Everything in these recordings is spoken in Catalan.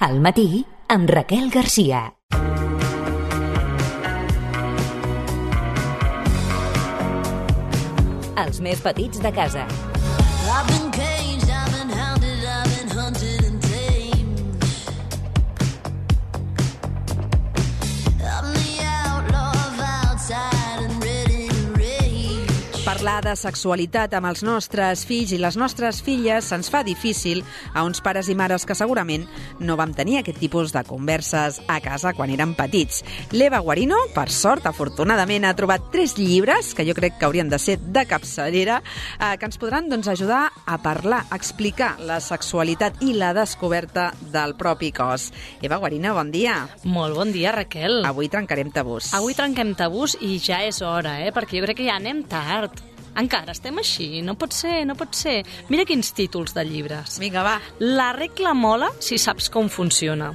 Al matí, amb Raquel Garcia. Els més petits de casa. Parlar de sexualitat amb els nostres fills i les nostres filles se'ns fa difícil a uns pares i mares que segurament no vam tenir aquest tipus de converses a casa quan érem petits. L'Eva Guarino, per sort, afortunadament, ha trobat 3 llibres, que jo crec que haurien de ser de capçalera, que ens podran ajudar a parlar, a explicar la sexualitat i la descoberta del propi cos. Eva Guarino, bon dia. Molt bon dia, Raquel. Avui trencarem tabús. Avui trenquem tabús i ja és hora, perquè jo crec que ja anem tard. Encara estem així, no pot ser, no pot ser. Mira quins títols de llibres. Vinga, va. La regla mola si saps com funciona.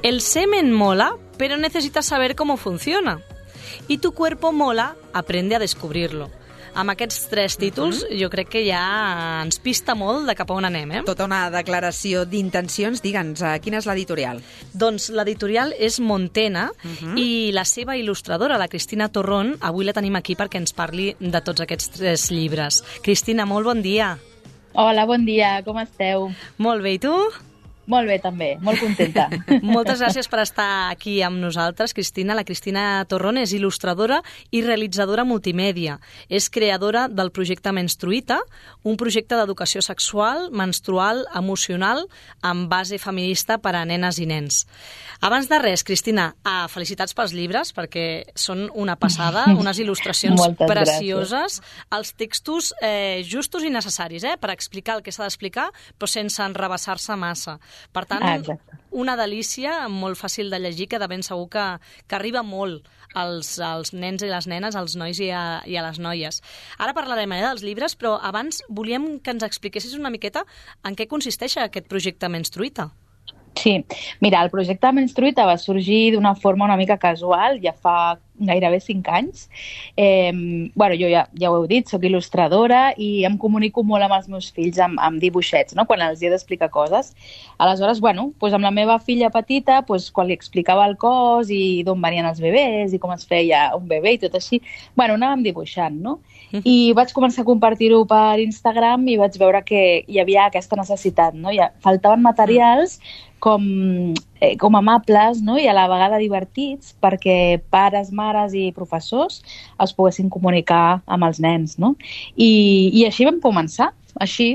El semen mola, pero necesitas saber cómo funciona. Y tu cuerpo mola, aprende a descubrirlo. Amb aquests 3 títols jo crec que ja ens pista molt de cap a on anem, Tota una declaració d'intencions. Digue'ns, quina és l'editorial? Doncs l'editorial és Montena i la seva il·lustradora, la Cristina Torrón, avui la tenim aquí perquè ens parli de tots aquests 3 llibres. Cristina, molt bon dia. Hola, bon dia, com esteu? Molt bé, i tu? Molt bé, també, molt contenta. Moltes gràcies per estar aquí amb nosaltres, Cristina. La Cristina Torrón és il·lustradora i realitzadora multimèdia. És creadora del projecte Menstruïta, un projecte d'educació sexual, menstrual, emocional, amb base feminista per a nenes i nens. Abans de res, Cristina, felicitats pels llibres, perquè són una passada, unes il·lustracions precioses, els textos justos i necessaris, per explicar el que s'ha d'explicar, però sense enrabassar-se massa. Per tant, una delícia, molt fàcil de llegir, que de ben segur que arriba molt als nens i les nenes, als nois i a les noies. Ara parlarem dels llibres, però abans volíem que ens expliquessis una miqueta en què consisteix aquest projecte Menstruïta. Sí, mira, el projecte Menstruïta va sorgir d'una forma una mica casual, ja fa gairebé 5 anys. Jo ja ho heu dit, soc il·lustradora i em comunico molt amb els meus fills amb dibuixets, no? Quan els he d'explicar coses. Aleshores, amb la meva filla petita, quan li explicava el cos i d'on venien els bebès i com es feia un bebè i tot així, anàvem dibuixant, no? I vaig començar a compartir-ho per Instagram i vaig veure que hi havia aquesta necessitat, no? Faltaven materials com amables, no? I a la vegada divertits perquè pares, mares i professors es poguessin comunicar amb els nens, no? I així vam començar,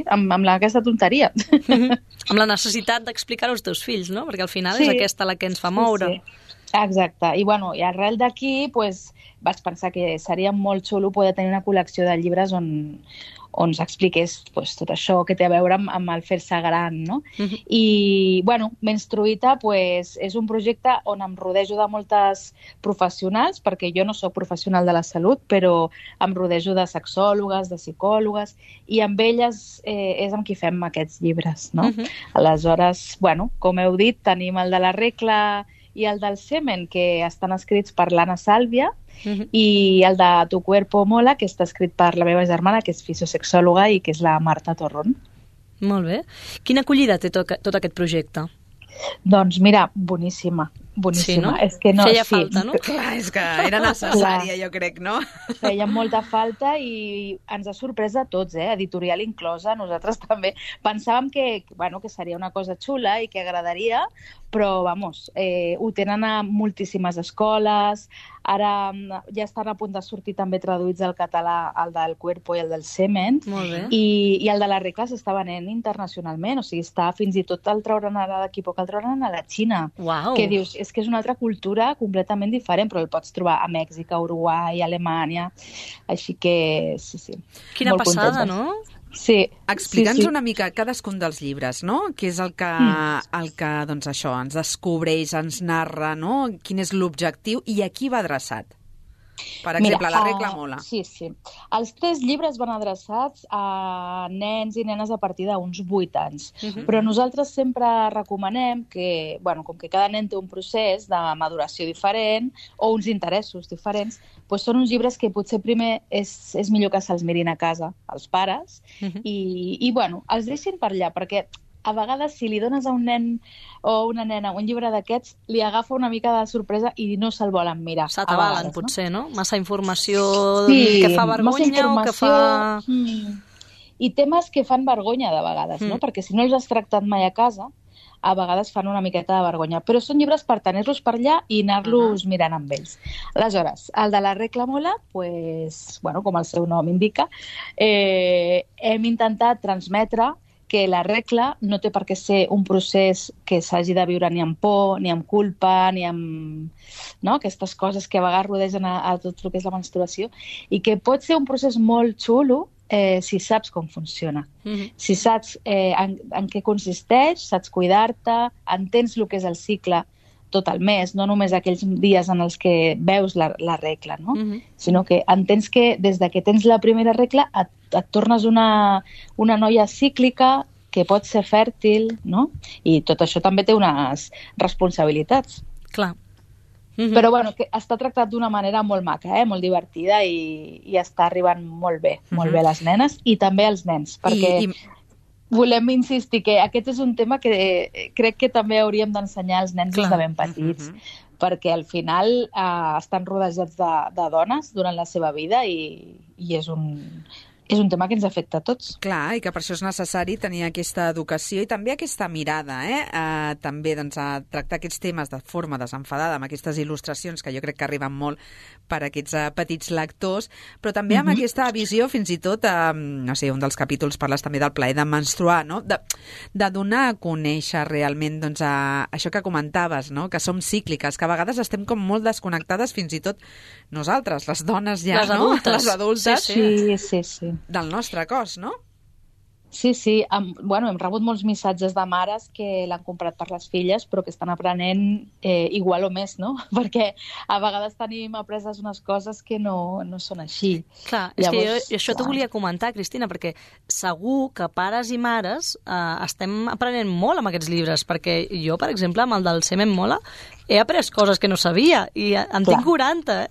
amb aquesta tonteria. Amb la necessitat d'explicar-ho als teus fills, no? Perquè al final és aquesta la que ens fa moure. Sí. Exacte. I arrel d'aquí vaig pensar que seria molt xulo poder tenir una col·lecció de llibres on s'expliqués tot això que té a veure amb el fer-se gran, no? I, Menstruïta és un projecte on em rodejo de moltes professionals, perquè jo no soc professional de la salut, però em rodejo de sexòlogues, de psicòlogues, i amb elles és amb qui fem aquests llibres, no? Aleshores, com heu dit, tenim el de la regla i el del semen, que estan escrits per l'Anna Sàlvia, i el de Tu cuerpo mola, que està escrit per la meva germana, que és fisiosexòloga i que és la Marta Torrón. Molt bé. Quina acollida té tot aquest projecte? Doncs mira, boníssima. Sí, no? És que no, feia falta, no? Clar, és que era necessària, jo crec, no? Feia molta falta i ens ha sorprès a tots, editorial inclosa. Nosaltres també pensàvem que seria una cosa xula i que agradaria, però, ho tenen a moltíssimes escoles. Ara ja estan a punt de sortir també traduïts al català el del cuerpo i el del semen. Molt bé. I el de la regla s'està venent internacionalment, o sigui, està fins i tot el trauran ara d'aquí poc, el trauran a la Xina. Uau! Que dius, és que és una altra cultura completament diferent, però el pots trobar a Mèxic, a Uruguai, a Alemanya, així que sí. Quina molt passada, contentes. no? Sí. Explica'ns una mica cadascun dels llibres, no? Què és el que això, ens descobreix, ens narra, no? Quin és l'objectiu i a qui va adreçat? Per exemple, la regla mola. Sí. Els 3 llibres van adreçats a nens i nenes a partir d'uns 8 anys. Però nosaltres sempre recomanem que, com que cada nen té un procés de maduració diferent o uns interessos diferents, són uns llibres que potser primer és millor que se'ls mirin a casa, els pares, i els deixin per allà, perquè a vegades si li dones a un nen o una nena un llibre d'aquests, li agafa una mica de sorpresa i no se'l volen mirar. S'atabalen, potser, no? Massa informació que fa vergonya o que fa... I temes que fan vergonya de vegades, no? Perquè si no els has tractat mai a casa, a vegades fan una miqueta de vergonya. Però són llibres per tenir-los per allà i anar-los mirant amb ells. Aleshores, el de la regla mola, pues, bueno, com el seu nom indica, hem intentat transmetre que la regla no té per què ser un procés que s'hagi de viure ni amb por, ni amb culpa, ni amb aquestes coses que a vegades rodegen a tot el que és la menstruació, i que pot ser un procés molt xulo si saps com funciona. Si saps en què consisteix, saps cuidar-te, entens el que és el cicle tot el mes, no només aquells dies en els que veus la regla, no? Sinó que entens que des de que tens la primera regla et tornes una noia cíclica que pot ser fèrtil, no? I tot això també té unes responsabilitats. Clar. Però bueno, que està tractat d'una manera molt maca, molt divertida i està arribant molt bé les nenes i també els nens, perquè volem insistir que aquest és un tema que crec que també hauríem d'ensenyar als nens des de ben petits, perquè al final estan rodejats de dones durant la seva vida i és un tema que ens afecta a tots. Clar, i que per això és necessari tenir aquesta educació i també aquesta mirada, també a tractar aquests temes de forma desenfadada, amb aquestes il·lustracions que jo crec que arriben molt per a aquests petits lectors, però també amb aquesta visió, fins i tot, no sé, un dels capítols parles també del plaer de menstruar, no? De donar a conèixer realment això que comentaves, no? Que som cícliques, que a vegades estem com molt desconnectades, fins i tot nosaltres, les dones ja, les adultes. Les adultes. Sí. Del nostre cos, no? Sí. Hem rebut molts missatges de mares que l'han comprat per les filles, però que estan aprenent igual o més, no? Perquè a vegades tenim apreses unes coses que no són així. Clar, llavors, és que jo t'ho volia comentar, Cristina, perquè segur que pares i mares estem aprenent molt amb aquests llibres, perquè jo, per exemple, amb el del Semen Mola, he après coses que no sabia i en tinc 40,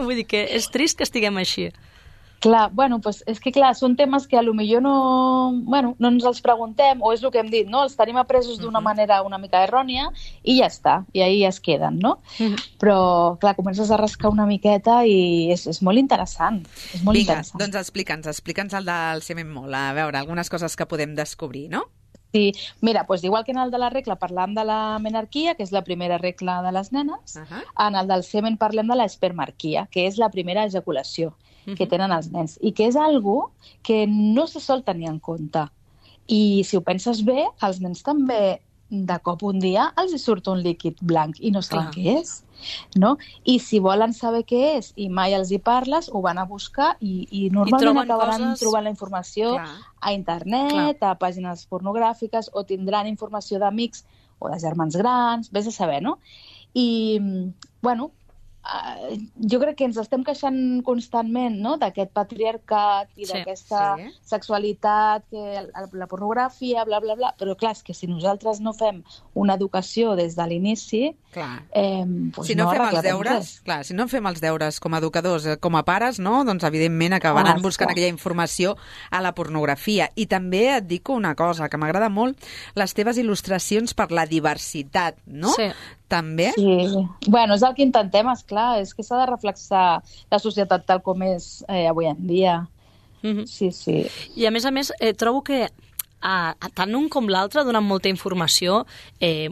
Vull dir que és trist que estiguem així. Clar, és que són temes que potser no ens els preguntem, o és el que hem dit, no? Els tenim apresos d'una manera una mica errònia i ja està, i ahí es queden, no? Però, clar, comences a rascar una miqueta i és molt interessant. És molt interessant. Doncs explica'ns el del Semen Mola, a veure, algunes coses que podem descobrir, no? Sí, mira, igual que en el de la regla parlam de la menarquia, que és la primera regla de les nenes, en el del semen parlem de l'espermarquia, que és la primera ejaculació que tenen els nens, i que és algo que no se sol tenir en compte. I si ho penses bé, els nens també de cop un dia els surt un líquid blanc i no saben què és, no? I si volen saber què és i mai els hi parles, ho van a buscar i normalment acabaran trobant la informació a internet, a pàgines pornogràfiques, o tindran informació d'amics o de germans grans, vés a saber, no? I, jo crec que ens estem queixant constantment, no?, d'aquest patriarcat i d'aquesta sexualitat, la pornografia, bla, bla, bla, però clar, és que si nosaltres no fem una educació des de l'inici, si no fem els deures com a educadors, com a pares, no?, doncs evidentment acabaran buscant aquella informació a la pornografia. I també et dic una cosa, que m'agrada molt, les teves il·lustracions per la diversitat, no? Sí. També? Sí. És el que intentem, esclar, és que s'ha de reflexar la societat tal com és avui en dia. Sí. I a més, trobo que tant un com l'altre donen molta informació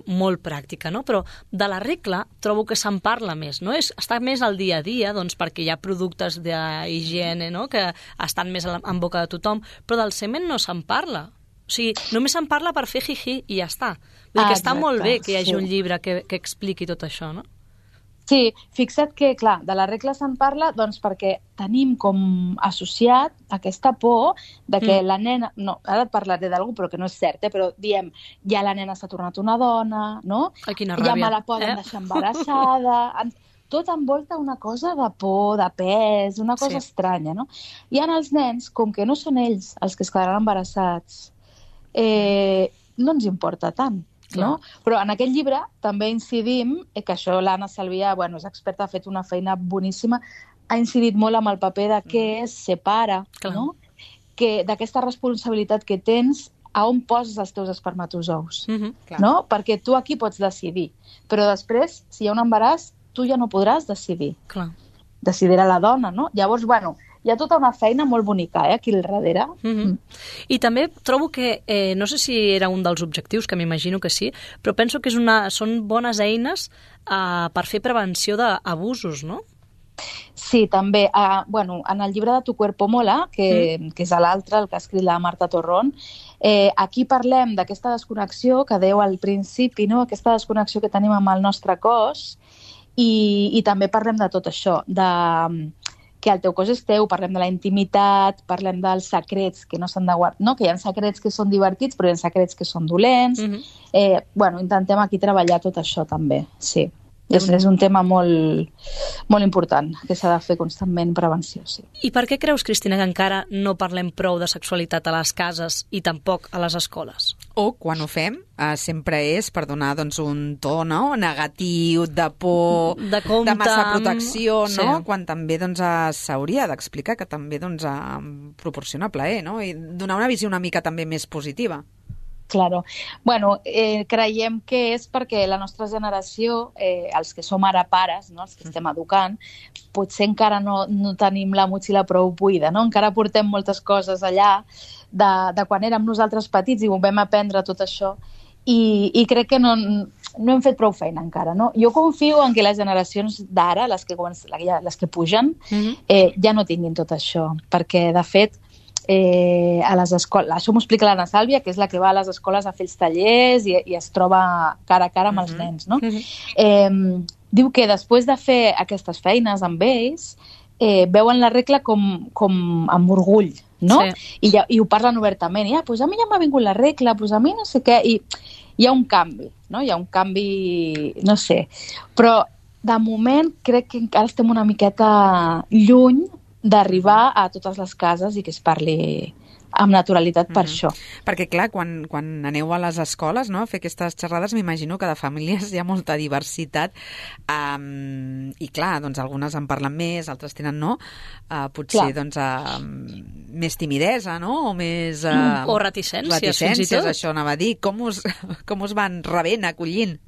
molt pràctica, no? Però de la regla trobo que se'n parla més, no? Està més al dia a dia, doncs, perquè hi ha productes d'higiene, no?, que estan més en boca de tothom, però del semen no se'n parla. O sigui, només se'n parla per fer jiji i ja està. Vull dir que està molt bé que hi hagi un llibre que expliqui tot això, no? Sí, fixa't que, clar, de la regla se'n parla doncs perquè tenim com associat aquesta por de que la nena... No, ara et parlaré d'algú, però que no és cert, però diem, ja la nena s'ha tornat una dona, no? Ai, quina ràbia. Ja me la poden deixar embarassada... Tot envolta una cosa de por, de pes, una cosa estranya, no? I en els nens, com que no són ells els que es quedaran embarassats, no ens importa tant, no? Però en aquest llibre també incidim, que això l'Anna Salvià, és experta, ha fet una feina boníssima, ha incidit molt amb el paper de què és ser pare, no? D'aquesta responsabilitat que tens a on poses els teus espermatozous, clar. no? Perquè tu aquí pots decidir, però després, si hi ha un embaràs, tu ja no podràs decidir. Clar. Decidirà la dona, no? Llavors, bueno, hi ha tota una feina molt bonica, aquí al darrere. I també trobo que, no sé si era un dels objectius, que m'imagino que sí, però penso que són bones eines per fer prevenció d'abusos, no? Sí, també. Bueno, en el llibre de Tu cuerpo mola, que és l'altre, el que ha escrit la Marta Torrón, aquí parlem d'aquesta desconnexió que dèieu al principi, no? Aquesta desconnexió que tenim amb el nostre cos, i també parlem de tot això, que el teu cos és teu, parlem de la intimitat, parlem dels secrets que no s'han de guardar, no? Que hi ha secrets que són divertits, però hi ha secrets que són dolents. Bueno, intentem aquí treballar tot això també, sí. És un tema molt, molt important, que s'ha de fer constantment prevenció, sí. I per què creus, Cristina, que encara no parlem prou de sexualitat a les cases i tampoc a les escoles? O, quan ho fem, sempre és per donar un to, no?, negatiu, de por, de massa protecció, no? Sí. Quan també s'hauria d'explicar que també proporciona plaer, no? I donar una visió una mica també més positiva. Claro. Bueno, creiem que és perquè la nostra generació, els que som ara pares, no? Els que estem educant, potser encara no tenim la motxilla prou buida, no? Encara portem moltes coses allà de quan érem nosaltres petits i ho vam aprendre tot això i crec que no hem fet prou feina encara, no? Jo confio en que les generacions d'ara, les que pugen, ja no tinguin tot això, perquè de fet a les escoles, això m'ho explica l'Anna Sàlvia, que és la que va a les escoles a fer els tallers i es troba cara a cara amb els nens, no? Diu que després de fer aquestes feines amb ells, veuen la regla com amb orgull, no? Sí. I ho parlen obertament. Pues a mi ja m'ha vingut la regla, pues a mi no sé què. I hi ha un canvi, no? Hi ha un canvi, no sé. Però, de moment, crec que encara estem una miqueta lluny d'arribar a totes les cases i que es parli amb naturalitat per això. Perquè, clar, quan aneu a les escoles, no?, a fer aquestes xerrades, m'imagino que de famílies hi ha molta diversitat i, clar, algunes en parlen més, altres tenen no, potser, més timidesa, no?, o més... o reticències, fins i tot. Això anava a dir. Com us van rebent, acollint?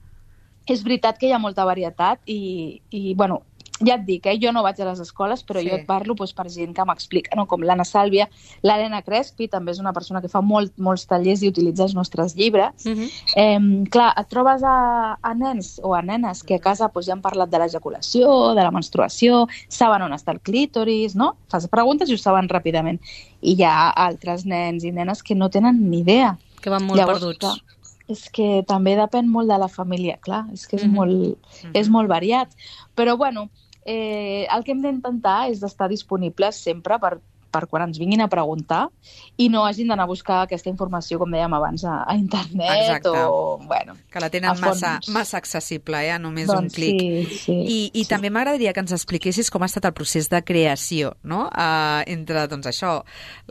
És veritat que hi ha molta varietat i bueno, ja et dic, jo no vaig a les escoles, però jo et parlo per gent que m'explica, no? Com l'Anna Sàlvia, l'Helena Crespi, també és una persona que fa molts tallers i utilitza els nostres llibres. Clar, et trobes a nens o a nenes que a casa ja han parlat de l'ejaculació, de la menstruació, saben on està el clítoris, no? Fas preguntes i ho saben ràpidament. I hi ha altres nens i nenes que no tenen ni idea. Que van molt perduts. Clar, és que també depèn molt de la família, clar, és que és molt variat. Però, bueno, el que hem d'intentar és d'estar disponibles sempre per quan ens vinguin a preguntar i no hagin d'anar a buscar aquesta informació, com dèiem abans, a internet. Exacte. O, bueno, que la tenen massa accessible, a només un clic. I també m'agradaria que ens expliquessis com ha estat el procés de creació, no?, entre, això,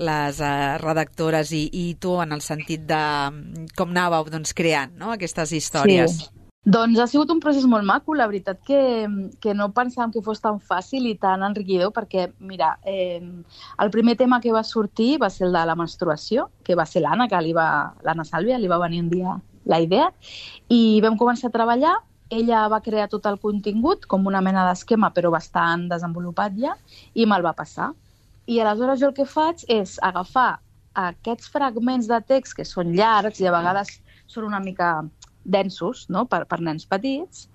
les redactores i tu, en el sentit de com anàveu creant, no?, aquestes històries. Sí. Doncs ha sigut un procés molt maco, la veritat que no pensàvem que fos tan fàcil i tan enriquidor, perquè, mira, el primer tema que va sortir va ser el de la menstruació, que va ser l'Anna Sàlvia, li va venir un dia la idea, i vam començar a treballar. Ella va crear tot el contingut, com una mena d'esquema, però bastant desenvolupat ja, i me'l va passar. I aleshores jo el que faig és agafar aquests fragments de text que són llargs i a vegades són una mica densos, no?, per nens petits,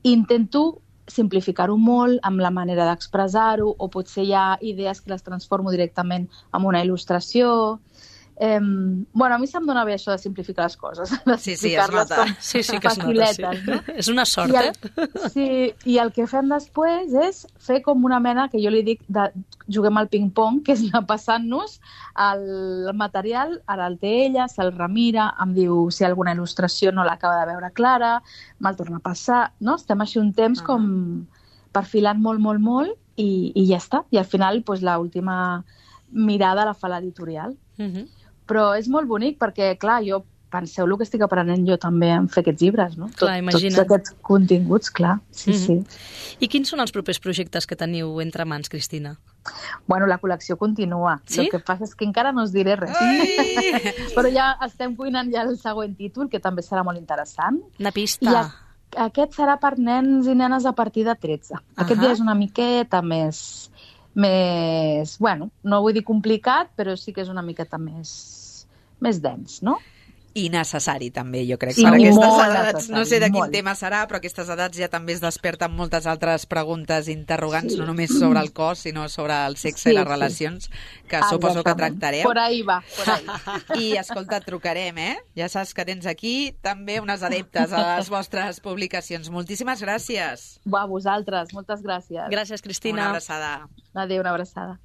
i intento simplificar-ho molt amb la manera d'expressar-ho, o potser hi ha idees que les transformo directament en una il·lustració. Bueno, a mi se'm dona bé això de simplificar les coses, de simplificar-les com faciletes, no? És una sort, Sí, i el que fem després és fer com una mena, que jo li dic, de juguem al ping-pong, que és anar passant-nos el material, ara el té ella, se'l remira, em diu si alguna il·lustració no l'acaba de veure clara, me'l torna a passar, no? Estem així un temps com perfilant molt, i ja està. I al final, l'última mirada la fa l'editorial. Però és molt bonic perquè, clar, penseu el que estic aprenent jo també en fer aquests llibres, no? Clar, imagina't. Tots aquests continguts, clar. Sí. I quins són els propers projectes que teniu entre mans, Cristina? Bueno, la col·lecció continua. Sí? El que passa és que encara no us diré res. Però ja estem cuinant ja el següent títol, que també serà molt interessant. Una pista. I aquest serà per nens i nenes a partir de 13. Aquest ja és una miqueta més... Bueno, no vull dir complicat, però sí que és una miqueta més dens, no? I necessari, també, jo crec. Sí, Per aquestes molt edats, necessari, no sé de quin molt. tema serà, però aquestes edats ja també es desperten moltes altres preguntes interrogants, no només sobre el cos, sinó sobre el sexe i les relacions, que suposo que tractarem. Por ahí va, por ahí. I, escolta, et trucarem, eh? Ja saps que tens aquí també unes adeptes a les vostres publicacions. Moltíssimes gràcies. Va, vosaltres, moltes gràcies. Gràcies, Cristina. Una abraçada. Adéu, una abraçada.